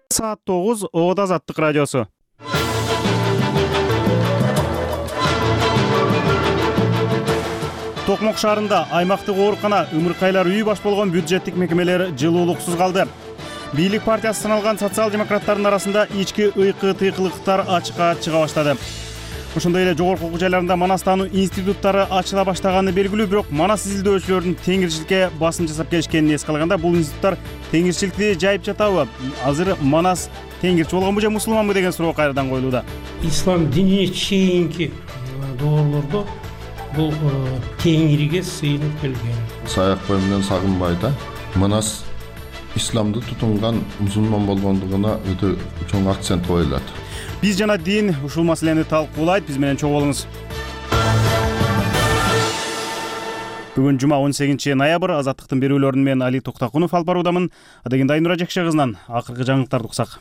Саат 9 Оодо Азаттык радиосу. Токмок шаарында аймактык оорукана, ымыркайлар үйү баш болгон бюджеттик мекемелер жылуулуксуз калды. Бийлик партиясы саналган социал-демократтардын арасында ички ыйкы-тыйкылыктар ачыкка чыга баштады. Ошондой эле жогорку окуу жайларында манас таануу институттары ачыла баштаганы белгилүү, бирок манас изилдөөчүлөрдүн теңирчиликке басым жасап келишкенин эске алганда, бул институттар теңирчиликти жайып жатабы? Азыр манас теңирчи болгонбу же мусулманбы деген суроо кайрадан коюлууда. Ислам динине чейинки доорлордо бул теңириге сыйынып келген. Саякбай менен Сагынбай да манас исламды тутунган мусулман болгондугуна өтө чоң акцент коюлат. Биз жана дин ушул маселени талкуулайт, биз менен чогуу болуңуз. Бүгүн жума 18 ноябрь, Азаттыктын берүүлөрүн мен Али Токтакунов алып баруудамын. Адегенде Айнура Жекше кызынан акыркы жаңылыктарды уксак.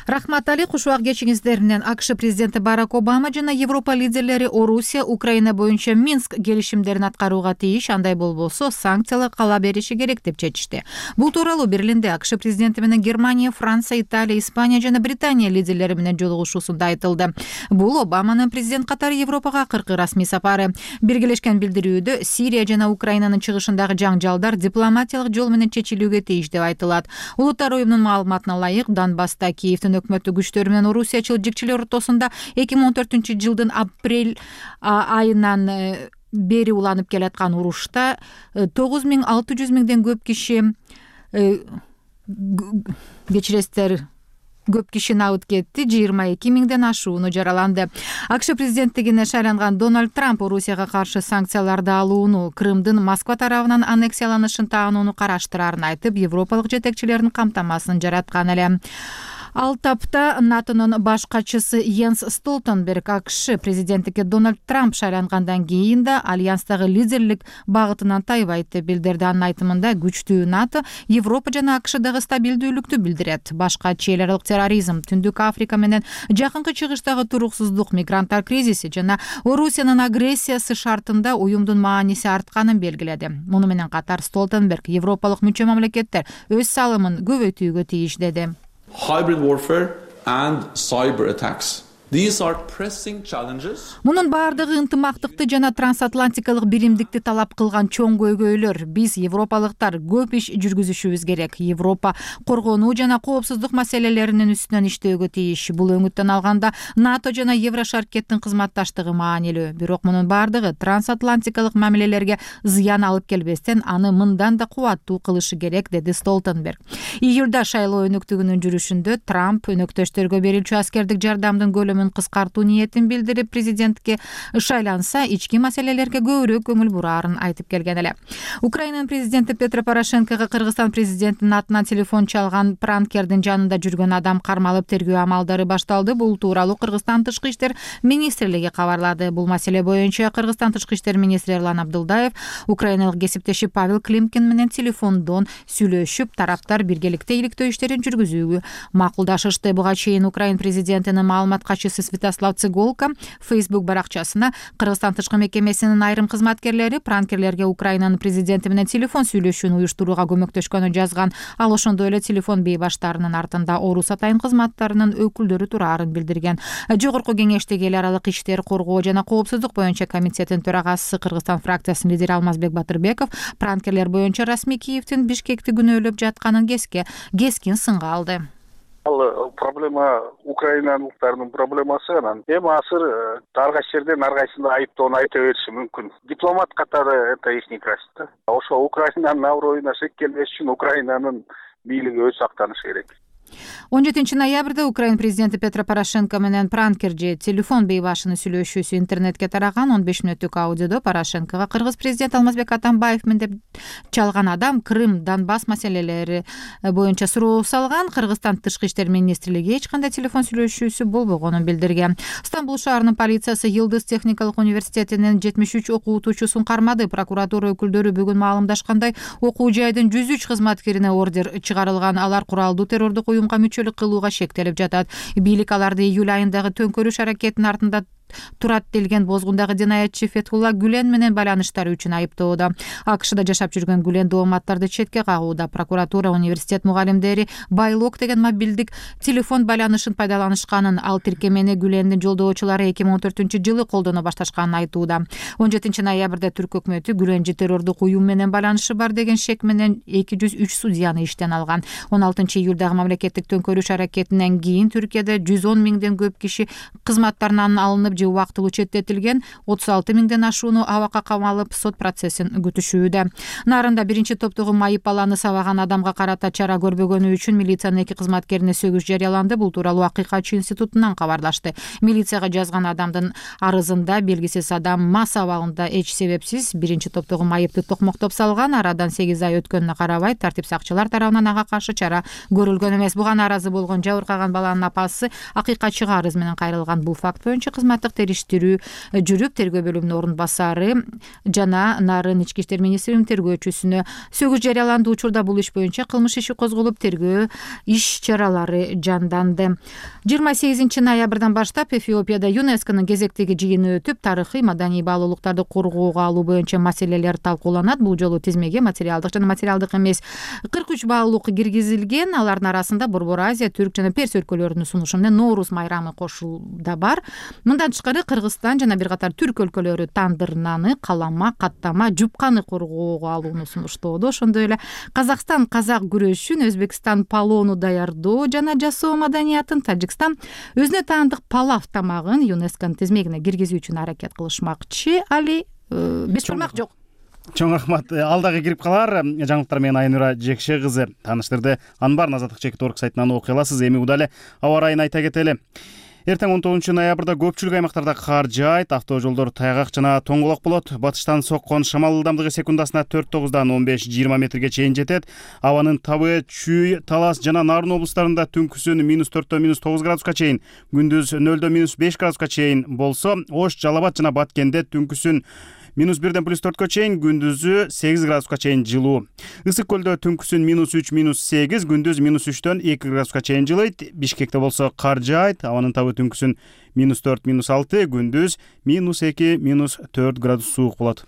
Рахмат Али, кушубак кечиңиздер менен. АКШ президенти Барак Обама жана Европа лидерлери Орусия, Украина боюнча Минск келишимдерин аткарууга тийиш, андай болбосо санкциялар кала бериши керек деп чечишти. Бул тууралуу Берлинде АКШ президенти менен Германия, Франция, Италия, Испания жана Британия лидерлери менен жолугушуусунда айтылды. Бул Обаманын президент катары Европага акыркы расмий сапары. Биргелешкен билдирүүдө Сирия жана Украинанын чыгышындагы жаңжалдар дипломатиялык жол менен чечилүүгө тийиш деп айтылат. Улуттар уюмунун маалыматына ылайык, Донбасста Киевдин өкмөттүк күчтөр менен орусиячыл ортосунда 2014-жылдын апрель айынан бери уланып келаткан урушта 9600 миңден көп киши көп киши абыт кетти, 22 миңден ашууну жараланды. АКШ президенттигине шайланган Дональд Трамп Орусияга каршы санкцияларды алууну, Крымдын Москва тарабынан аннексияланышын таанууну караштырарын айтып, европалык жетекчилердин камтамасын жараткан эле. Ал тапта НАТОнун баш катчысы Йенс Столтенберг АКШ президенттикке Дональд Трамп шайлангандан кийин да альянстагы лидерлик багытынан тайбайт деп билдирди. Анын айтымында күчтүү НАТО Европа жана АКШдагы стабилдүүлүктү билдирет. Башка эл аралык терроризм, Түндүк Африка менен Жакынкы Чыгыштагы туруксуздук, мигранттар кризиси жана Орусиянын агрессиясы шартында уюмдун мааниси артканын белгиледи. Муну менен катар Столтенберг европалык мүчө мамлекеттер өз салымын көбөйтүүгө тийиш деди. Hybrid warfare and cyber attacks. These are pressing challenges. Мунун баардыгы ынтымактыкты жана трансатлантикалык биримдикти талап кылган чоң көйгөйлөр. Биз европалыктар көп иш жүргүзүшүбүз керек. Европа коргонуу жана коопсуздук маселелеринин үстүнөн иштөөгө тийиш. Бул өңүттөн алганда НАТО жана Еврошаркеттин кызматташтыгы маанилүү. Бирок мунун баардыгы трансатлантикалык мамилелерге зыян алып келбестен, аны мындан да кубаттуу кылышы керек, деди Столтенберг. Июлда шайлоо өнөктүгүнүн жүрүшүндө Трамп өнөктөштөргө берилчү аскердик жардамдын кыскартуу ниетин билдирип, президентке шайланса ички маселелерге көбүрөөк көңүл бураарын айтып келген эле. Украинанын президенти Петро Порошенкого Кыргызстан президентинин атынан телефон чалган пранкердин жанында жүргөн адам кармалып тергөө амалдары башталды. Бул тууралуу Кыргызстан тышкы иштер министрлиги кабарлады. Бул маселе боюнча Кыргызстан тышкы иштер министри Эрлан Абдылдаев украиналык кесиптеши Павел Климкин менен телефондон сүйлөшүп, тараптар биргеликте иликтөө иштерин жүргүзүүгө макулдашышты. Буга чейин Украин президентинин маалымат катчысы Святослав Цыголко Facebook баракчасына Кыргызстан тышкы мекемесинин айрым кызматкерлери пранкерлерге Украинанын президенти менен телефон сүйлөшүүнү уюштурууга көмөктөшкөнүн жазган. Ал ошондой эле телефон бейбаштарынын артында Орус атайын кызматтарынын өкүлдөрү турарын билдирген. Жогорку кеңештеги эл аралык иштер, коргоо жана коопсуздук боюнча комитеттин төрагасы Кыргызстан фракциясынын лидери Алмазбек Батырбеков пранкерлер боюнча расмий Киевдин Бишкекти күнөөлөп жатканын кескин сынга алды. Ал проблема украиналыктардын проблемасы. Анан эми азыр ар кайсы жерден ар кайсына айыптоону айта бериши мүмкүн. Дипломат катары это их некрасиво. Ошо Украинанын аброюна шек келбеш үчүн Украинанын бийлиги өз сактанышы керек. 17 ноябрда Украин президенти Петро Порошенко менен пранкерже телефон бейбашынын сүйлөшүүсү интернетке тараган. 15 мүнөттүк аудиодо Порошенкого Кыргыз президенти Алмазбек Атамбаев мен деп чалган адам Крым, Донбасс маселелери боюнча суроо салган. Кыргызстан тышкы иштер министрлиги эч кандай телефон сүйлөшүүсү болбогонун билдирген. Стамбул шаарынын полициясы Йылдыз техникалык университетинин 73 окуутуучусун кармады. Прокуратура өкүлдөрү бүгүн маалымдашкандай, окуу жайдын 103 кызматкерине ордер чыгарылган. Алар куралдуу террордук уюмга мүчөлүк кылууга шектелип жатат. Бийлик аларды июль айындагы төңкөрүш аракетинин артында турат делген бозгундагы жинаятчы Фетхулла Гүлен менен байланыштары үчүн айыптоодо. АКШда жашап жүргөн Гүлен дооматтарды четке кагууда. Прокуратура университет мугалимдери Байлок деген мобилдик телефон байланышын пайдаланышканын, ал тиркемени Гүлендин жолдоочулары 2014-жылы колдоно башташканын айтууда. 17 ноябрда Түрк өкмөтү Гүленчи террордук уюм менен байланышы бар деген шек менен 203 судьяны иштен алган. 16 июлдагы мамлекеттик төңкөрүш аракетинен кийин Түркияда 110 миңден көп киши кызматтарынан алынып же убактылуу четтетилген, 36 миңден ашууну абакка камалып сот процессин күтүшүүдө. Нарында биринчи топтогу майып баланы сабаган адамга карата чара көрбөгөнү үчүн милициянын 2 кызматкерине сөгүш жарыяланды. Бул тууралуу Акыйкатчы институтунан кабарлашты. Милицияга жазган адамдын арызында белгисиз адам мас абалында эч себепсиз биринчи топтогу майыпты токмоктоп салган. Арадан 8 ай өткөнүнө карабай тартип сакчылар тарабынан ага каршы чара көрүлгөн эмес. Буга нааразы болгон жабыркаган баланын апасы Акыйкатчыга арыз менен кайрылган. Бул факт боюнча кызматтык териштирүү жүрүп, тергөө бөлүмүнүн орун басары жана Нарын ички иштер министринин тергөөчүсүнө сөгүш жарыяланды. Учурда бул иш боюнча кылмыш иши козголуп, тергөө иш чаралары жанданды. 28 ноябрдан баштап Эфиопияда ЮНЕСКОнун кезектеги жыйыны өтүп, тарыхый маданий баалуулуктарды коргоого алуу боюнча маселелер талкууланат. Бул жолу тизмеге материалдык жана материалдык эмес 43 баалуулук киргизилген. Алардын арасында Борбор Азия, Түрк жана Перс өлкөлөрүнүн сунушу менен Ноорус майрамы кошулда бар. Мындан тышкары Кыргызстан жана бир катар түрк өлкөлөрү тандыр наны, калама, каттама, жупканы коргоого алууну сунуштоодо. Ошондой эле Казакстан казак күрөшүн, Өзбекстан палоону даярдоо жана жасоо маданиятын, Тажикстан өзүнө таандык палав тамагын ЮНЕСКонун тизмегине киргизүү үчүн аракет кылышмакчы. Али бешбармак жок. Чоң рахмат. Алдагы кирип калар жаңылыктар менен Айнура Жекше кызы тааныштырды. Анын баарын Азаттык чекит орг сайтынан окуй аласыз. Эми удале аба ырайын айта кетели. Эртең 19 ноябрда көпчүлүк аймактарда кар жаайт, автожолдор тайгак жана тоңголок болот. Батыштан соккон шамал ылдамдыгы секундасына 4-9дан 15-20 метрге чейин жетет. Абанын Табы, Чүй, Талас жана Нарын облустарында түнкүсүн -4 -9 градуска чейин, күндүз 0 -5 градуска чейин болсо, Ош, Жалал Абад жана Баткенде түнкүсүн -1 +4 чейин, күндүзү 8 градуска чейин жылуу. Ысык көлдө түнкүсүн -3 -8, күндүз -3 2 градуска чейин жылыйт. Бишкекте болсо кар жаайт, абанын Табы түнкүсүн -4 -6, күндүз -2 -4 градус суук болот.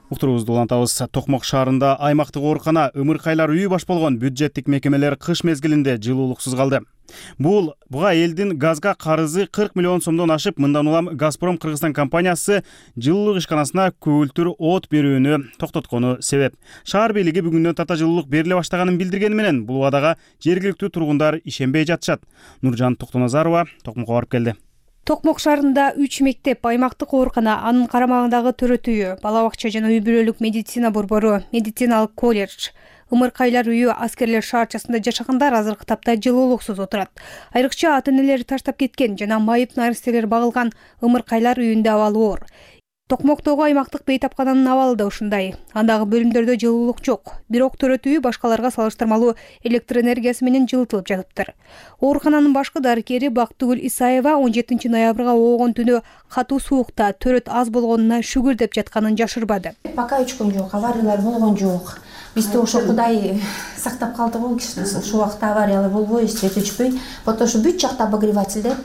Уктуруубузду улантабыз. Токмок шаарында аймактык оорукана ымыркайлар үйү баш болгон бюджеттик мекемелер кыш мезгилинде жылуулуксуз калды. Буга элдин газга карызы 40 миллион сомдон ашып, мындан улам Газпром Кыргызстан компаниясы жылуулук ишканасына көгүлтүр от берүүнү токтоткону себеп. Шаар бийлиги бүгүндөн тарта жылуулук бериле баштаганын билдиргени менен бул убадага жергиликтүү тургундар ишенбей жатышат. Нуржан Токтоназарова Токмокко барып келди. Токмок шаарында 3 мектеп, аймактык оорукана, анын карамагындагы төрөт үйү, бала бакча жана үй бүлөлүк медицина борбору, медициналык колледж, ымыркайлар үйү, аскерлер шаарчасында жашагандар азыркы тапта жылуулуксуз отурат. Айрыкча ата-энелери таштап кеткен жана майып наристелер багылган ымыркайлар үйүндө абалы оор. Токмоктогу аймактык бейтапкананын абалы да ушундай. Андагы бөлүмдөрдө жылуулук жок. Бирок төрөт үйү башкаларга салыштырмалуу электр энергиясы менен жылытылып жатыптыр. Оорукананын башкы дарыкери Бактыгүл Исаева 17 ноябрга оогон түнү катуу суукта төрөт аз болгонуна шүгүр деп жатканын жашырбады. Пока өчкөн жок, авариялар болгон жок. Бизде ошо Кудай сактап калды го, ушул убакта авариялар болбой, свет өчпөй. Потому что бүт жакта обогревательдер.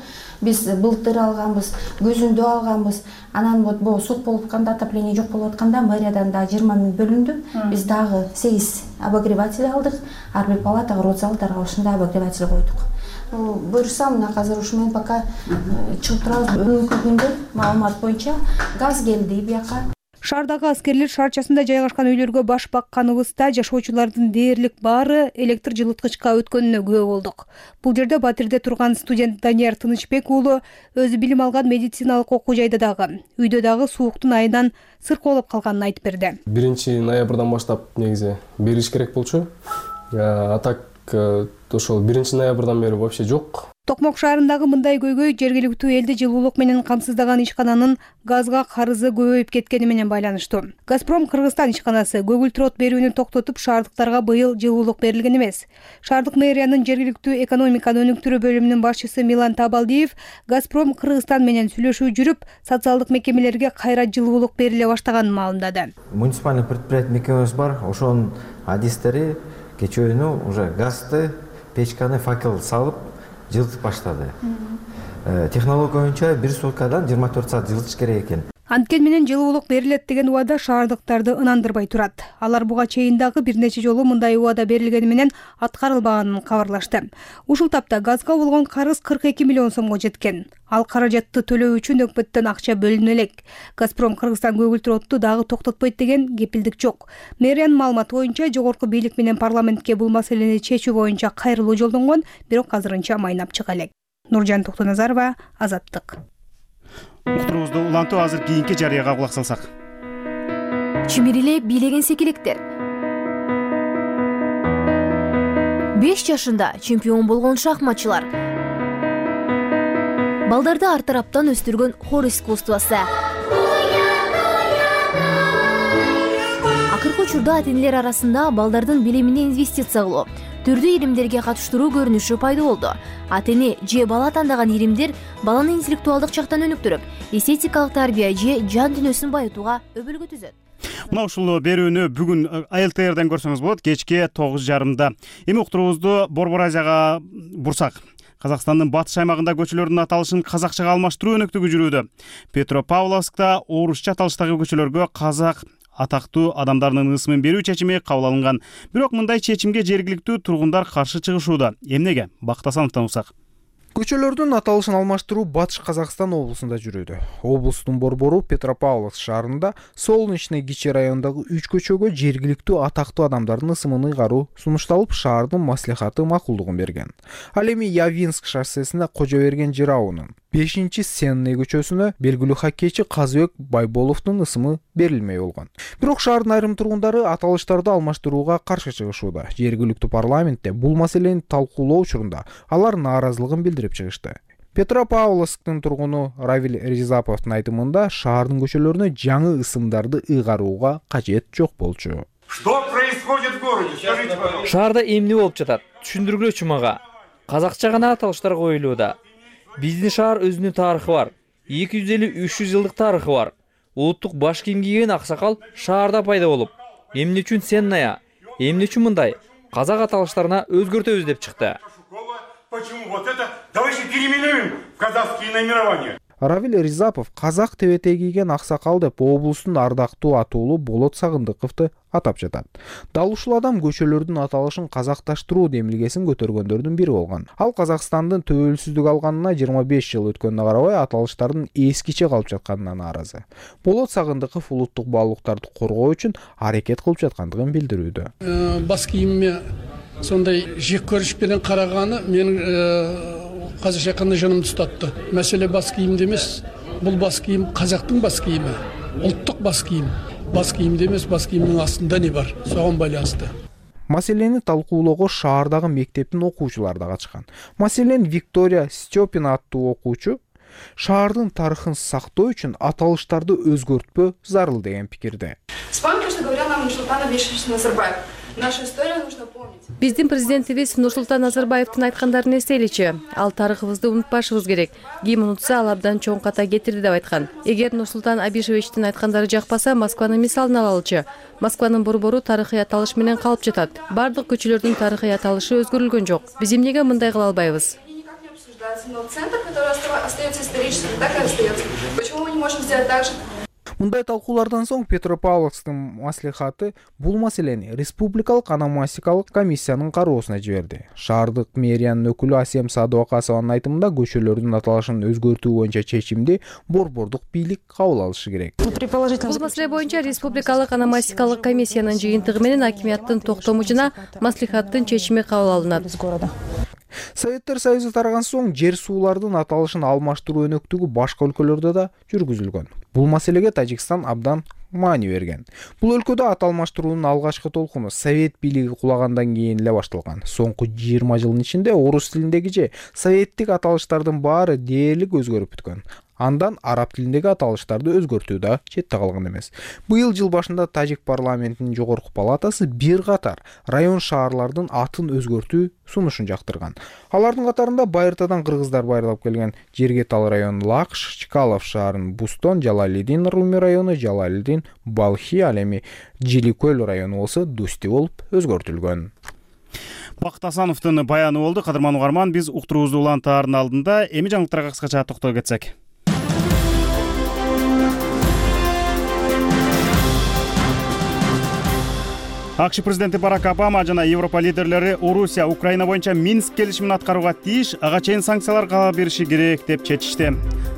Биз былтыр алганбыз, көзүндө алганбыз. Анан вот суук болуп атканда, отопление жок болуп атканда мэриядан дагы 20 миң бөлүндү. Биз дагы 8 обогреватель алдык. Ар бир палатага, родзалдарга ушундай обогреватель койдук. Буюрсам, мына азыр ушу менен пока чыгып турабыз. Өнүкү күндө маалымат боюнча газ келди бияка. Шаардагы аскерлер шаарчасында жайгашкан үйлөргө баш бакканыбызда жашоочулардын дээрлик баары электр жылыткычка өткөнүнө күбө болдук. Бул жерде Батирде турган студент Данияр Тынычбек уулу өзү билим алган медициналык окуу жайда дагы, үйдө дагы сууктун айынан сыркоолоп калганын айтып берди. 1 ноябрдан баштап негизи бериш керек болчу. А так ошол 1 ноябрдан бери вообще жок. Токмок шаарындагы мындай көйгөй жергиликтүү элди жылуулук менен камсыздаган ишкананын газга карызы көбөйүп кеткени менен байланыштуу. Газпром Кыргызстан ишканасы көгүлтүр от берүүнү токтотуп, шаардыктарга быйыл жылуулук берилген эмес. Шаардык мэриянын жергиликтүү экономиканы өнүктүрүү бөлүмүнүн башчысы Милан Табалдиев Газпром Кыргызстан менен сүйлөшүү жүрүп, социалдык мекемелерге кайра жылуулук бериле баштаганын маалымдады. Муниципальный предприятие мекемебиз бар, ошонун адистери кечөөнү уже газды печканы факел салып жылытып баштады. Технология боюнча 1 суткадан 24 саат жылытыш керек экен. Анткени менен жылуулук берилет деген убада шаардыктарды ынандырбай турат. Алар буга чейин дагы бир нече жолу мындай убада берилгени менен аткарылбаганын кабарлашты. Ушул тапта газга болгон карыз 42 миллион сомго жеткен. Ал каражатты төлөө үчүн өкмөттөн акча бөлүнө элек. Газпром Кыргызстан көгүлтүр отту дагы токтотпойт деген кепилдик жок. Мэриянын маалыматы боюнча жогорку бийлик менен парламентке бул маселени чечүү боюнча кайрылуу жолдонгон, бирок азырынча майнап чыга элек. Нуржан Токтоназарова, Азаттык. Уктуруубузду улантуу азыр кийинки жарыяга кулак салсак. Чимириле бийлеген секилектер. 5 жашында чемпион болгон шахматчылар. Балдарды ар тараптан өстүргөн хор искусствосу. Акыркы учурда ата-энелер арасында балдардын билимине инвестиция кылуу, түрдүү иримдерге катыштыруу көрүнүшү пайда болду. Ата-эне же бала тандаган иримдер баланы интеллектуалдык жактан өнүктүрүп, эстетикалык тарбия же жан дүйнөсүн байытууга өбөлгө түзөт. Мына ушул берүүнү бүгүн АЛТРден көрсөңүз болот, кечки 9:30. Эми уктуруубузду Борбор Азияга бурсак. Казакстандын батыш аймагында көчөлөрдүн аталышын казакчага алмаштыруу өнөктүгү жүрүүдө. Петропавловскта орусча аталыштагы көчөлөргө казак атактуу адамдарынын ысымын берүү чечими кабыл алынган. Бирок мындай чечимге жергиликтүү тургундар каршы чыгышууда. Эмнеге? Бактасановдон уксак. Көчөлөрдүн аталышын алмаштыруу Батыш Казакстан облусунда жүрүүдө. Облустун борбору Петропавловск шаарында Солнечный Кичи районундагы 3 көчөгө жергиликтүү атактуу адамдардын ысымын ыйгаруу сунушталып, шаардын маслихаты макулдугун берген. Ал эми Явинск шоссесинде Кожоберген жыраунун 5-Сенный көчөсүнө белгилүү хоккейчи Казыбек Байболовдун ысымы берилмей болгон. Бирок шаардын айрым тургундары аталыштарды алмаштырууга каршы чыгышууда. Жергиликтүү парламентте бул маселени талкуулоо учурунда алар нааразылыгын билдирип чыгышты. Петропавловсктын тургуну Равиль Ризаповдун айтымында шаардын көчөлөрүнө жаңы ысымдарды ыйгарууга кажет жок болчу. Что происходит в городе? Скажите, пожалуйста. Шаарда эмне болуп жатат? Түшүндүргүлөчү мага. Казакча гана аталыштар коюлууда. Биздин шаар өзүнүн тарыхы бар. 250-300 жылдык тарыхы бар. Улуттук баш кийим кийген аксакал шаарда пайда болуп, эмне үчүн Сенная, эмне үчүн мындай казак аталыштарына өзгөртөбүз деп чыкты. Почему вот это? Давайте переименуем в казахские наименования. Равиль Ризапов казак тебете кийген аксакал деп облустун ардактуу атуулу Болот Сагындыковду атап жатат. Дал ушул адам көчөлөрдүн аталышын казакташтыруу демилгесин көтөргөндөрдүн бири болгон. Ал Казакстандын төбөлсүздүк алганына 25 жыл өткөнүнө карабай аталыштардын эскиче калып жатканына нааразы. Болот Сагындыков улуттук баалуулуктарды коргоо үчүн аракет кылып жаткандыгын билдирүүдө. Бас кийимиме сондай жек көрүш менен караганы менин казакча айтканда жанымды тутатты. Маселе бас кийимде эмес, бул бас кийим казактын бас кийими, улуттук бас кийим. Бас кийимде эмес, бас кийимдин астында не бар? Согон байланыштуу. Маселени талкуулоого шаардагы мектептин окуучулары да катышкан. Маселен Виктория Степина аттуу окуучу шаардын тарыхын сактоо үчүн аталыштарды өзгөртпөө зарыл деген пикирде. Вспомните, что говорил нам Нурсултан Абишевич Назарбаев. Нашу историю нужно помнить. Биздин президентибиз Нурсултан Назарбаевдин айткандарын эстейличи. Ал тарыхыбызды унутпашыбыз керек. Ким унутса, ал абдан чоң ката кетирди деп айткан. Эгер Нурсултан Абишевичтин айткандары жакпаса, Москванын мисалын алалычы. Москванын борбору тарыхый аталыш менен калып жатат. Бардык көчөлөрдүн тарыхый аталышы өзгөрүлгөн жок. Биз эмнеге мындай кыла албайбыз? Но центр, который остается историческим, так и остается. Почему мы не можем сделать так же? Мындай талкуулардан соң Петропавловсктын маслихаты бул маселени республикалык ономастикалык комиссиянын кароосуна жиберди. Шаардык мэриянын өкүлү Асем Садыбакасованын айтымында көчөлөрдүн аталышын өзгөртүү боюнча чечимди борбордук бийлик кабыл алышы керек. Бул маселе боюнча республикалык ономастикалык комиссиянын жыйынтыгы менен акимияттын токтому жана маслихаттын чечими кабыл алынат. Советтер Союзу тараган соң жер суулардын аталышын алмаштыруу өнөктүгү башка өлкөлөрдө да жүргүзүлгөн. Бул маселеге Тажикстан абдан маани берген. Бул өлкөдө аталмаштыруунун алгачкы толкуну Совет бийлиги кулагандан кийин эле башталган. Соңку 20 жылдын ичинде орус тилиндеги же советтик аталыштардын баары дээрлик өзгөрүп бүткөн. Андан араб тилиндеги аталыштарды өзгөртүү да четте калган эмес. Быйыл жыл башында Тажик парламентинин жогорку палатасы бир катар район шаарлардын атын өзгөртүү сунушун жактырган. Алардын катарында Байыртадан кыргыздар байырлап келген Жергетал району Лакш, Чкалов шаарынын Бустон, Жалалидин Руми району Жалалидин Балхи, ал эми Жиликөл району болсо Дусти болуп өзгөртүлгөн. Бакыт Асановдун баяны болду. Кадырман угарман, биз уктуруубузду улантаардын алдында эми жаңылыктарга кыскача токтоло кетсек. АКШ президенти Барак Обама жана Европа лидерлери Орусия Украина боюнча Минск келишимин аткарууга тийиш, ага чейин санкциялар кала бериши керек деп чечишти.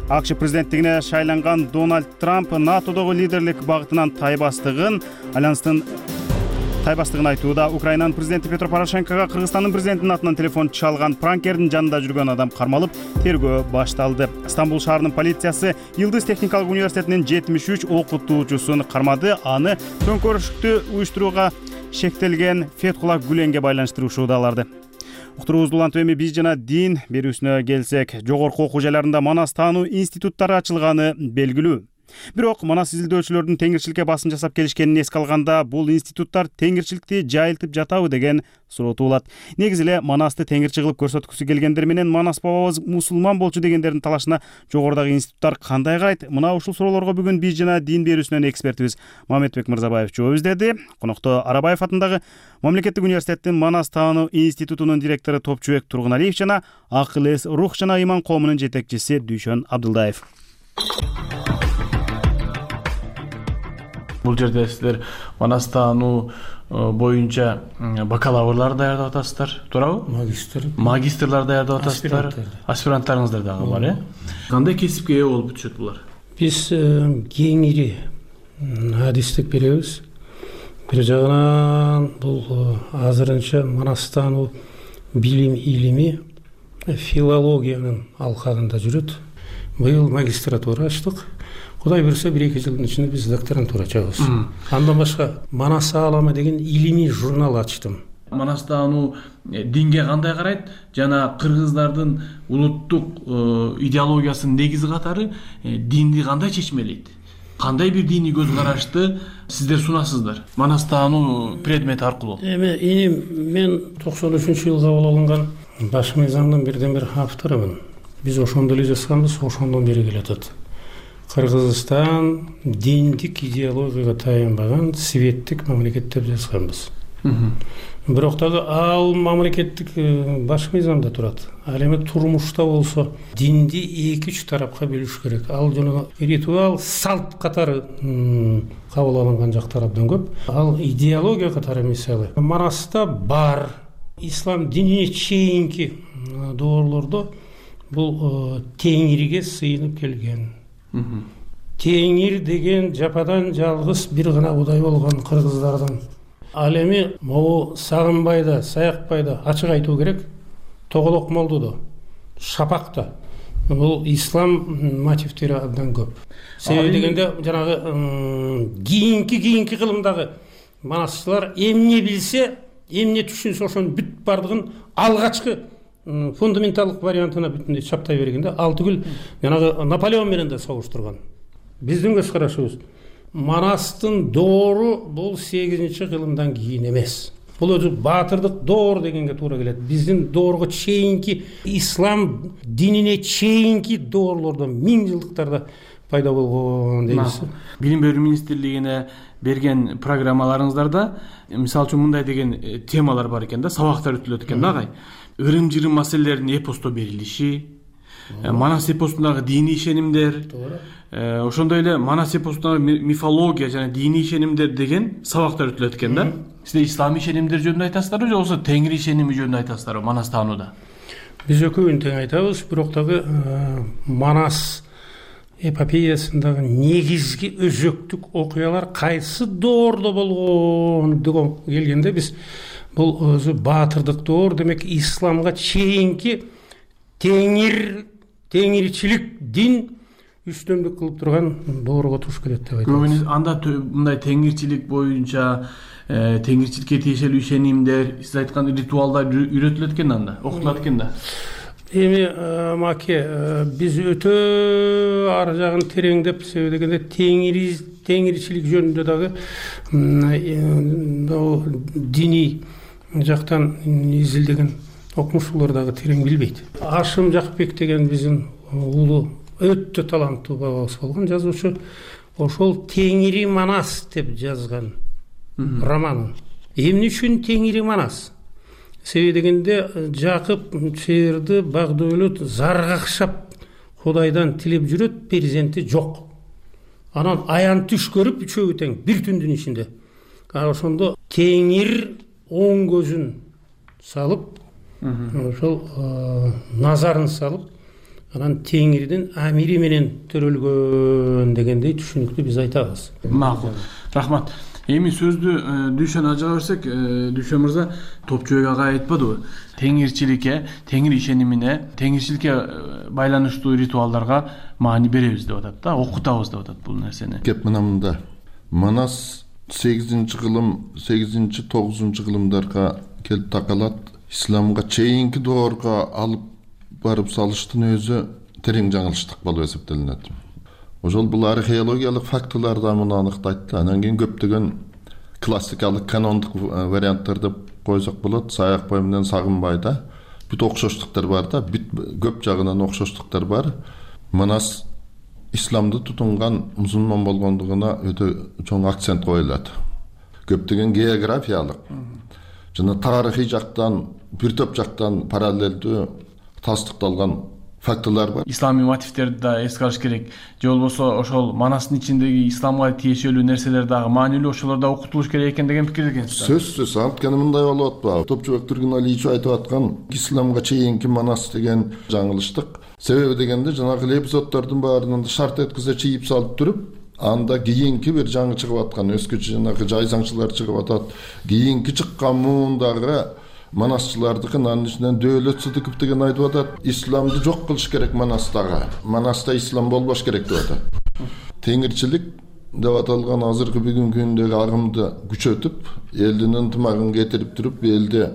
АКШ президенттигине шайланган Дональд Трамп НАТОдогу лидерлик багытынан тайбастыгын, альянстын тайбастыгын айтууда. Украинанын президенти Петро Порошенкого Кыргызстандын президентинин атынан телефон чалган пранкердин жанында жүргөн адам кармалып, тергөө башталды. Стамбул шаарынын полициясы Йылдыз техникалык университетинин 73 окутуучусун кармады. Аны төңкөрүштү уюштурууга шектелген Фетхулла Гүленге байланыштырушууда аларды. Уктуруубузду улантып эми биз жана дин берүүсүнө келсек, жогорку окуу жайларында манас таануу институттары ачылганы белгилүү. Бирок манас изилдөөчүлөрдүн теңирчиликке басым жасап келишкенин эске алганда, бул институттар теңирчиликти жайылтып жатабы деген суроо туулат. Негизи эле манасты теңирчи кылып көрсөткүсү келгендер менен манас бабабыз мусулман болчу дегендердин талашына жогорудагы институттар кандай карайт? Мына ушул суроолорго бүгүн биз жана дин берүүсүнөн экспертибиз Мамедбек Мырзабаев жооп издеди. Конокто Арабаев атындагы Мамлекеттик университеттин Манас таануу институтунун директору Топчубек Тургуналиев жана Акыл эс, рух жана ыйман коомунун жетекчиси Дүйшөн Абдылдаев. Бул жерде силер манас таануу боюнча бакалаврлар даярдап атасыздар, туурабы? Магистрлар даярдап атасыздар, аспиранттарыңыздар дагы бар, э? Кандай кесипке ээ болуп түшөт булар? Биз кеңири адистик беребиз. Бир жагынан бул азырынча манас таануу билим илими филологиянын алкагында жүрөт. Быйыл магистратура ачтык. Кудай буюрса 1-2 жылдын ичинде биз докторантура ачабыз. Андан башка Манас Аламы деген илимий журнал ачтым. Манас таануу динге кандай карайт жана кыргыздардын улуттук идеологиясынын негизи катары динди кандай чечмелейт? Кандай бир диний көз карашты сиздер сунасыздар манас таануу предмети аркылуу? Мен 93-жылы кабыл алынган баш мыйзамдын бирден бир авторумун. Биз ошондо эле жазганбыз, ошондон бери келатат. Кыргызстан диндик идеологияга таянбаган светтик мамлекет деп жазганбыз. Бирок дагы ал мамлекеттик баш мыйзамда турат. Ал эми турмушта болсо динди 2-3 тарапка бөлүш керек. Ал жана ритуал, салт катары кабыл алынган жактар абдан көп. Ал идеология катары мисалы Манаста бар. Ислам динине чейинки доорлордо бул теңирге сыйынып келген. Теңир деген жападан жалгыз бир гана Кудай болгон кыргыздардын. Ал эми могу Сагынбайда, Саякбайда ачык айтуу керек. Тоголок молдодо, Шапакта бул ислам мотивтери абдан көп. Себеби дегенде жанагы кийинки кылымдагы манасчылар эмне билсе, эмне түшүнсө ошонун бүт бардыгын алгачкы фундаменталдык вариантына бүтүндөй чаптай бергенде ал түгүл жанагы Наполеон менен да согуштурган. Биздин көз карашыбыз Манастын доору бул 8-кылымдан кийин эмес. Бул өзү баатырдык доор дегенге туура келет. Биздин доорго чейинки ислам динине чейинки доорлордон 1000 жылдыктарда пайда болгон дейбиз. Билим берүү министрлигине берген программаларыңыздарда мисалы үчүн мындай деген темалар бар экен да, сабактар өтүлөт экен да агай. Ырым-жырым маселелеринин эпосто берилиши, Манас эпосундагы диний ишенимдер, ошондой эле Манас эпосундагы мифология жана диний ишенимдер деген сабактар өтүлөт экен да. Сиздер ислам ишенимдер жөнүндө айтасыздарбы же болбосо теңир ишеними жөнүндө айтасыздарбы Манас таанууда? Биз экөөүн тең айтабыз, бирок дагы Манас эпопеясындагы негизги өзөктүк окуялар кайсы доордо болгон деген келгенде биз бул өзү баатырдык доор, демек исламга чейинки теңирчилик дин үстөмдүк кылып турган доорго туш келет деп айтабыз. Көбүнө анда мындай теңирчилик боюнча теңирчиликке тиешелүү ишенимдер, сиз айткан ритуалдар үйрөтүлөт экен анда, окутулат экен да. Эми маке биз өтө ар жагын тереңдеп себеби дегенде теңирчилик жөнүндө дагы диний жактан изилдеген окумуштуулар дагы терең билбейт. Ашым Жакпек деген биздин улуу өтө таланттуу бабабыз болгон жазуучу. Ошол Теңири Манас деп жазган романын. Эмне үчүн Теңири Манас? Себеби дегенде Жакып чыйырды Багдойлут заргакшап Кудайдан тилеп жүрөт, перзенти жок. Анан аян түш көрүп үчөөгө тең бир түндүн ичинде. Ошондо Теңир оң көзүн салып, ошол назарын салып, анан Теңирдин амири менен төрөлгөн дегендей түшүнүктү биз айтабыз. Макул. Рахмат. Эми сөздү Дүйшөн ажыга берсек, Дүйшөн мырза Топчубек ага айтпадыбы? Теңирчиликке, теңир ишенимине, теңирчиликке байланыштуу ритуалдарга маани беребиз деп атат да, окутабыз деп атат бул нерсени. Кеп мында Манас 8-кылым, 8-9 кылымдарга келип такалат. Исламга чейинки доорго алып барып салыштын өзү терең жаңылыштык болуп эсептелинет. Ошол бул археологиялык фактылар да муну аныктайт. Анан кийин көптөгөн классикалык канондук варианттар деп койсок болот. Саякбай менен Сагынбайда бүт окшоштуктар бар да, бүт көп жагынан окшоштуктар бар. Манас исламды тутунган мусулман болгондугуна өтө чоң акцент коюлат. Көптөгөн географиялык жана тарыхый жактан, бир топ жактан параллелдүү тастыкталган фактылар бар. Исламий мотивтерди да эске алыш керек. Же болбосо ошол Манастын ичиндеги исламга тиешелүү нерселер дагы маанилүү, ошолор да окутулуш керек экен деген пикирде экенсиз. Сөзсүз, анткени мындай болуп атпайбы? Топчубек Тургуналиевич айтып аткан исламга чейинки Манас деген жаңылыштык. Себеби дегенде жанагы эпизоддордун баарынан шарт эткизе чийип салып туруп, анда кийинки бир жаңы чыгып аткан өзгөчө жанагы жайсаңчылар чыгып атат. Кийинки чыккан муундагы Манасчылардыкы анын ичинен Дөөлөт Сыдыков деген айтып атат, исламды жок кылыш керек Манастагы. Манаста ислам болбош керек деп атат. Теңирчилик деп аталган азыркы бүгүнкү күндөгү агымды күчөтүп, элдин ынтымагын кетирип туруп, элди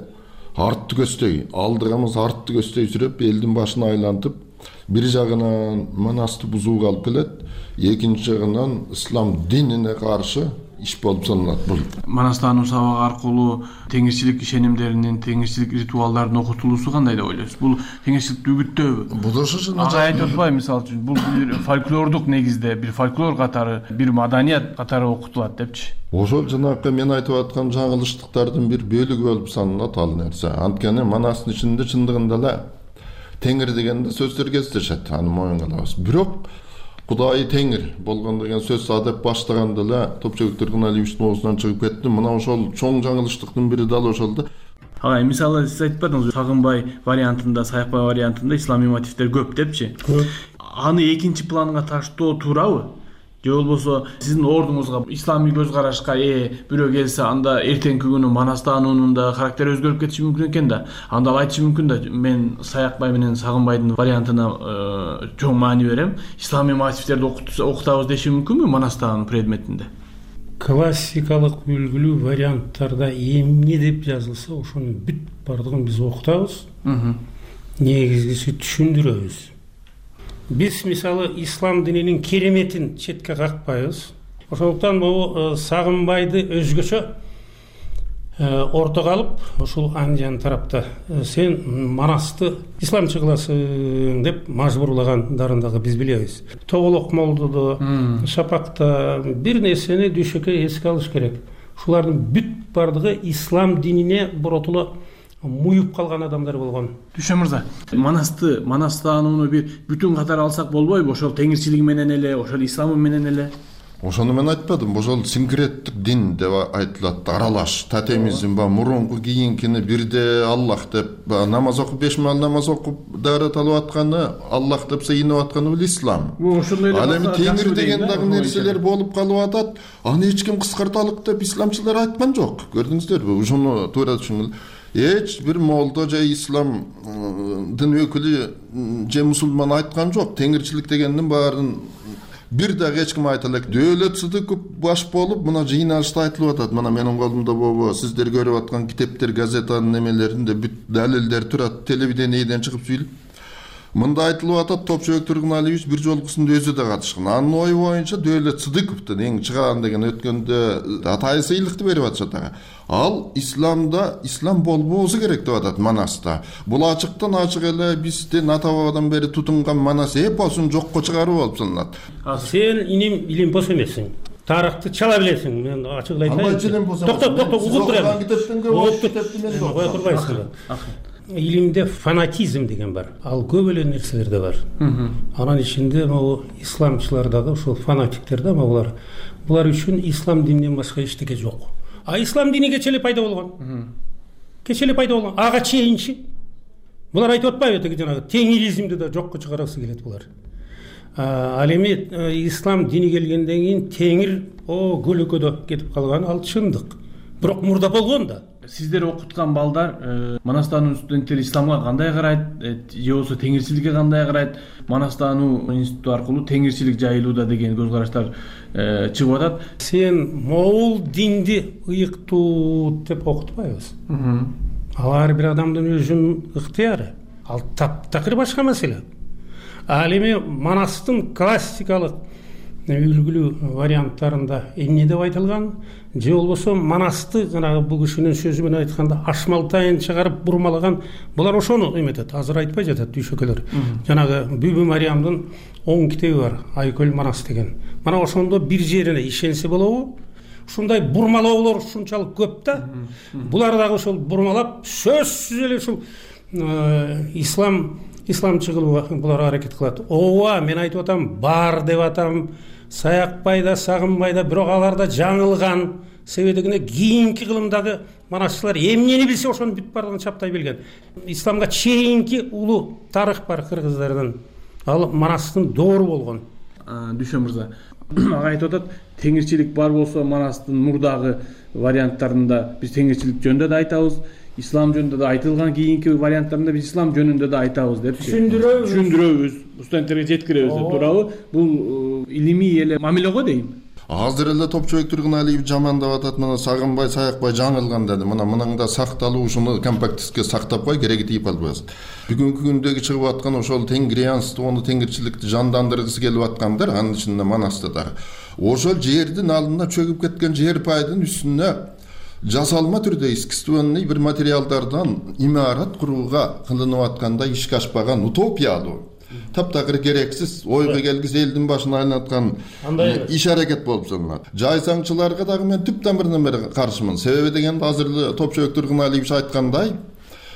артты көздөй, алдыгымыз артты көздөй сүрөп, элдин башын айлантып, бир жагынан Манасты бузууга алып келет, экинчи жагынан ислам динине каршы иш болуп саналат бул. Манастан сабак аркылуу теңирчилик ишенимдеринин, теңирчилик ритуалдарынын окутулуусу кандай деп ойлойсуз? Бул теңирчиликти үгүттөбү? Бул ошо ага айтып атпайбы, мисалы үчүн, бул бир фольклордук негизде, бир фольклор катары, бир маданият катары окутулат депчи. Ошол жанагы мен айтып аткан жаңылыштыктардын бир бөлүгү болуп саналат ал нерсе. Анткени Манастын ичинде чындыгында эле теңир дегенде сөздөр кездешет, аны моюнга алабыз. Бирок Кудай теңир болгон деген сөз адеп баштаганда эле Топчубек Тургуналиевичтин оозунан чыгып кетти. Мына ошол чоң жаңылыштыктын бири дал ошол да. Ага, мисалы сиз айтпадыңызбы, Сагынбай вариантында, Саякбай вариантында исламий мотивдер көп депчи. Аны экинчи планга таштоо туурабы? Же болбосо сиздин ордуңузга исламий көз карашка бирөө келсе, анда эртеңки күнү Манастануунун да характери өзгөрүп кетиши мүмкүн экен да. Анда айтышы мүмкүн да, мен Саякбай менен Сагынбайдын вариантына чоң маани берем. Исламий мотивтерди окутабыз деши мүмкүнбү Манастануун предметинде? Классикалык үлгүлүү варианттарда эмне деп жазылса, ошонун бүт бардыгын биз окутабыз. Негизгиси түшүндүрөбүз. Биз мисалы ислам дининин кереметин четке какпайбыз. Ошондуктан бул Сагынбайды өзгөчө ортого алып, ушул Анжан тарапта сен Манасты исламчы кыласың деп мажбурлагандарын дагы биз билебиз. Тоголок молдодо, Шапакта бир нерсени Дүйшөккө эске алыш керек. Ушулардын бүт бардыгы ислам динине боротулу муюп калган адамдар болгон. Дүйшөн мырза, Манастанууну бир бүтүн катары алсак болбойбу? Ошол теңирчилиги менен эле, ошол исламы менен эле. Ошону мен айтпадым. Ошол синкреттик дин деп айтылат, аралаш, тотемизм ба, мурунку кийинкини бирде Аллах деп, намаз окуп 5 маал намаз окуп даарат алып атканы, Аллах деп сыйынып атканы бул ислам. Ал эми теңир деген дагы нерселер болуп калып атат. Аны эч ким кыскарталык деп исламчылар айткан жок. Көрдүңүздөрбү? Ошону туура түшүнгүл. Эч бир молдо же ислам дин өкүлү же мусулман айткан жок. Теңирчилик дегендин баарын бир дагы эч ким айта элек. Дөөлөт Сыдыков баш болуп, мына жыйналышта айтылып атат. Мына менин колумда болбо, сиздер көрүп аткан китептер, газетанын немелеринде бүт далилдер турат, телевидениеден чыгып сүйлөп. Мында айтылып атат, Топчубек Тургуналиевич бир жолкусунда өзү да катышкан. Анын ою боюнча Дөөлөт Сыдыковдун эң чыгаан деген өткөндө атайы сыйлыкты берип атышат ага. Ал исламда ислам болбоосу керек деп атат Манаста. Бул ачыктан ачык эле биздин ата бабадан бери тутунган Манас эпосун жокко чыгаруу болуп саналат. Сен иним илимпос эмессиң. Тарыхты чала билесиң. Мен ачык айтайын. Албай илимпос. Токтоп, угуп турам. Кое турбайсың. Илимде фанатизм деген бар. Ал көп эле нерселерде бар. Анын ичинде могу исламчылардагы ушул фанатиктер да могулар. Булар үчүн ислам дининен башка эчтеке жок. А ислам дини кечеле пайда болгон. Кечеле пайда болгон. Ага чейинчи. Булар айтып атпайбы теги жанагы теңиризмди да жокко чыгарасы келет булар. Ал эми ислам дини келгенден кийин теңир көлөкөдө кетип калган ал чындык. Бирок мурда болгон да. Сиздер окуткан балдар Манастануу студенттери исламга кандай карайт, же болбосо теңирчиликке кандай карайт? Манастануу институту аркылуу теңирчилик жайылууда деген көз караштар чыгып атат. Сен могул динди ыйыктуу деп окутпайбыз. Ал ар бир адамдын өзүнүн ыктыяры. Ал таптакыр башка маселе. Ал эми Манастын классикалык үлгүлүү варианттарында эмне деп айтылган, же болбосо Манасты жанагы бул кишинин сөзү менен айтканда ашмалтайын чыгарып бурмалаган, булар ошону эметет, азыр айтпай жатат дүйшөкөлөр. Жанагы Бүбү Мариямдын 10 китеби бар, Айкөл Манас деген. Мана ошондо бир жерине ишенсе болобу? Ушундай бурмалоолор ушунчалык көп да. Булар дагы ошол бурмалап сөзсүз эле ушул исламчы кылууга булар аракет кылат. Ооба, мен айтып атам, бар деп атам. Саякпай да, сагынбай да, бирок алар да жаңылган. Себеби дегенде кийинки кылымдагы манасчылар эмнени билсе ошону бүт бардыгын чаптай билген. Исламга чейинки улуу тарых бар кыргыздардын. Ал Манастын доору болгон. Дүйшө мырза, ага айтып атат, теңирчилик бар болсо Манастын мурдагы варианттарында биз теңирчилик жөнүндө да айтабыз, ислам жөнүндө да айтылган кийинки варианттарында биз ислам жөнүндө да айтабыз депчи. Түшүндүрөбүз, студенттерге жеткиребиз деп туурабы? Бул илимий эле мамиле го дейм. Азыр эле Топчубек Тургуналиев жамандап атат, мына сагынбай, саякпай жаңылган деди. Мынаңда сакталуу ушуну компактистке сактап кой, кереги тийип албайсың. Бүгүнкү күндөгү чыгып аткан ошол теңирянствону, теңирчиликти жандандыргысы келип аткандар, анын ичинде Манаста да. Ошол жердин алдына чөгүп кеткен жер пайдын үстүнө жасалма түрдө искусственный бир материалдардан имарат курууга кылынып атканда ишке ашпаган утопиялуу, таптакыр керексиз, ойго келгис элдин башына айлаткан иш аракет болуп саналат. Жайсаңчыларга дагы мен түп тамырынан бери каршымын. Себеби дегенде азыр Топчубек Тургуналиевич айткандай,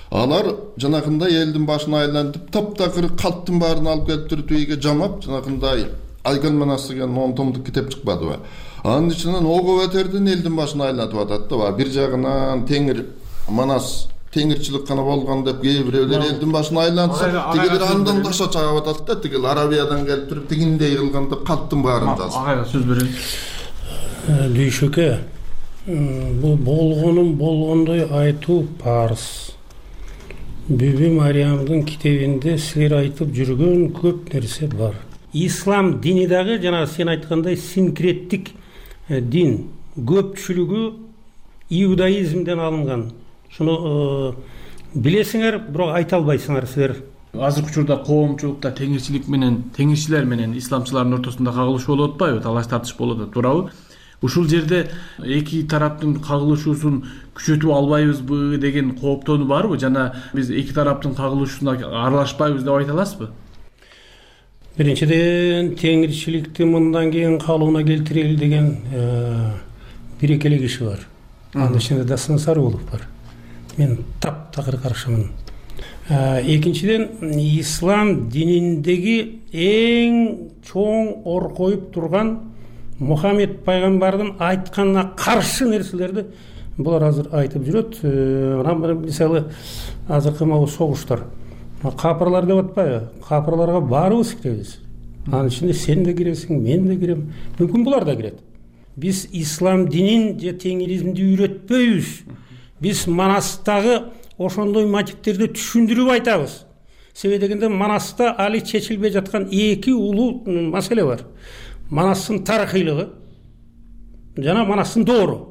алар жанагындай элдин башына айлантып, таптакыр калптын баарын алып келип туруп үйгө жамап, жанагындай Айкөл Манас деген 10 томдук китеп чыкпадыбы? Анын ичинен ого өтердин элдин башына айлантып атат да. Бир жагынан теңир Манас теңирчилик гана болгон деп кээ бирөөлөр элдин башына айлантса, тигилер андан таша чагып атат да, тигил Арабиядан келип туруп тигиндей кылганда калптын баарын жазып. Ага, сөз берейин. Дүйшөкө, бул болгонун болгондой айтуу парыз. Бүбү Мариямдын китебинде силер айтып жүргөн көп нерсе бар. Ислам дини дагы жана сен айткандай синкреттик дин, көпчүлүгү иудаизмден алынган. Шуну билесиңер, бирок айта албайсыңар силер. Азыркы учурда коомчулукта теңирчилик менен, теңирчилер менен исламчылардын ортосунда кагылышуу болуп атпайбы, талаш тартыш болуп атат, туурабы? Ушул жерде эки тараптын кагылышуусун күчөтүп албайбызбы деген кооптонуу барбы? Жана биз эки тараптын кагылышуусуна аралашпайбыз деп айта аласызбы? Биринчиден, теңирчиликти мындан кийин калыбына келтирели деген бир экеле киши бар. Анын ичинде Дасын Сарыулов бар. Мен таптакыр каршымын. Экинчиден, ислам дининдеги эң чоң оркоюп турган Мухаммед пайгамбардын айтканына каршы нерселерди булар азыр айтып жүрөт. Анан мисалы азыркы могу согуштар. Капырлар деп атпайбы? Капырларга баарыбыз киребиз. Анын ичинде сен да киресиң, мен да кирем. Мүмкүн булар да кирет. Биз ислам динин же теңиризмди үйрөтпөйбүз. Биз Манастагы ошондой мотивтерди түшүндүрүп айтабыз. Себеби дегенде Манаста али чечилбей жаткан эки улуу маселе бар. Манастын тарыхыйлыгы жана Манастын доору.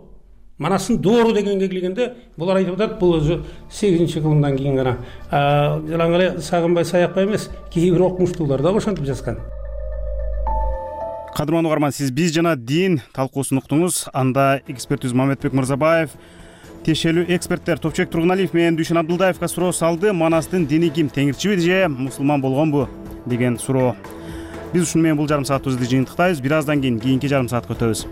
Манастын доору дегенге келгенде булар айтып атат, бул өзү 8-кылымдан кийин гана жалаң эле Сагынбай Саякбай эмес, кээ бир окумуштуулар да ошентип жазган. Кадырман угарман, сиз биз жана дин талкуусун уктуңуз. Анда экспертибиз Мамедбек Мырзабаев, тиешелүү эксперттер Топчубек Тургуналиев менен Дүйшөн Абдылдаевга суроо салды. Манастын дини ким, теңирчиби же мусулман болгонбу деген суроо. Биз ушуну менен бул жарым саатыбызды жыйынтыктайбыз. Бир аздан кийин кийинки жарым саатка өтөбүз.